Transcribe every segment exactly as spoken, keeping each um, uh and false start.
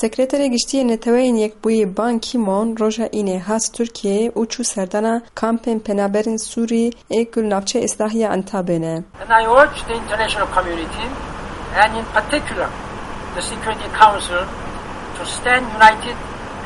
Sekreterê Giştî yê Neteweyên Yekbûyî Ban Ki-moon roja Înê hat Tirkiyeyê û çû serdana kampên penaberên Sûrî ê ku li navçeya Îslahiya Entabê ne. And I urge the international community, and in particular the Security Council, to stand united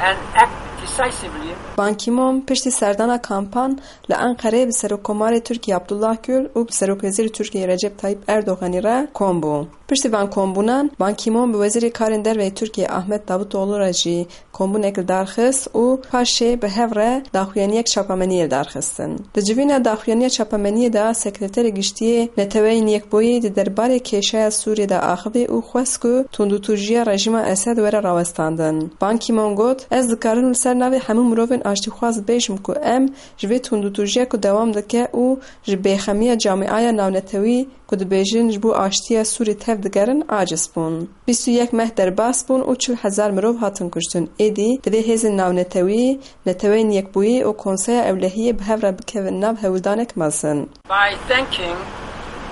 and act decisively. Ban Ki-moon piştî serdana kampan li Enqereyê bi Serokkomarê Tirkiyê Abdullah Gül û bi Serokwezîrê Tirkiyê Recep Tayyip Erdoganî re kom bû. Piştî van kombûnan, Ban Ki-moon bi Wezîrê Karên Derve yê Tirkiyê Ahmet Davutoğlu re jî kombûnek li dar xist û paşê bi hev re daxuyaniyek çapemeniyê li dar xistin. Di civîna daxuyaniya çapemeniyê de Sekreterê Giştî yê Neteweyên Yekbûyî di derbarê kêşeya Sûriyê de axivî û xwest ku tundûtûjiya rejîma Esed were rawestandin. Ban Ki-moon got, Ez dikarim li ser navê hemû mirovên aştîxwaz bêjim ku em ji vê tundûtûjiya ku dewam dike û ji bêxemiya camîaya navnetewî ku dibêjin ji bo aştiya Sûrî tev digerin, aciz bûn. Bîst û yek meh derbas bûn û çil hezar mirov hatin kuştin. Êdî divê hêzên navnetewî, Neteweyên Yekbûyî û Konseya Ewlehiyê bi hev re bikevin nav hewldanek mezin. By thanking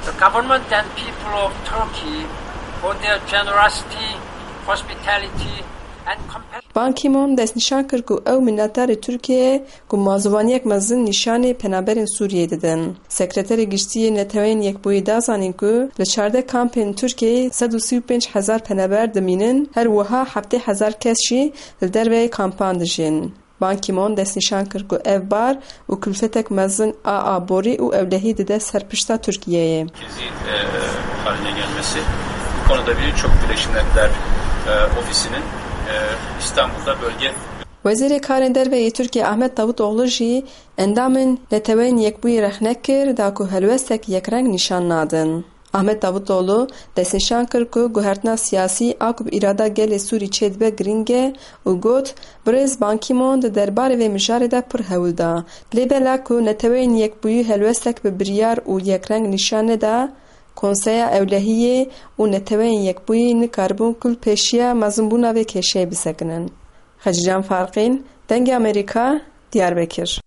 the government and people of Turkey for their generosity, hospitality and compassion. Ban Ki-moon destnîşan kir ku ew minnetdarê Tirkiyeyê ku mazûvaniyek mezin nîşanê penaberên Sûriyeyê didin. Sekreterê Giştî yê Neteweyên Yekbûyî da zanîn ku li çardeh kampên Tirkiyeyê sed û sî û pênc hezar penaber dimînin, her wiha heftê hezar kes jî li derveyê kampan dijîn. Ban Ki-moon destnîşan kir ku ev bar û kulfetek mezin a aborî û ewlehî dide ser pişta Tirkiyeyê. Merkezi, e, haline gelmesi. Bu konuda Birleşmiş Milletler, e, Ofisi'nin, e, İstanbul'da bölge Wezîrê Karên Derve yê Tirkiyê Ahmet Davutoğlu jî endamên Neteweyên Yekbûyî rexne kir da ku helwestek yekreng nîşan nadin. Ahmet Davutoğlu destnîşan kir ku guhertina siyasî a ku bi îrada gelê Sûrî çêdibe girîng e û got, Birêz Ban Ki-moon di derbarê vê mijarê de pir hewl da. Lê bela ku Neteweyên Yekbûyî helwestek bi biryar û yekreng nîşan neda, Konseya Ewlehiyê û Neteweyên Yekbûyî nikaribûn ku li pêşiya mezinbûna vê kêşeyê bisekinin. Xecîcan Farqîn, Dengê Amerîka, Diyarbekir.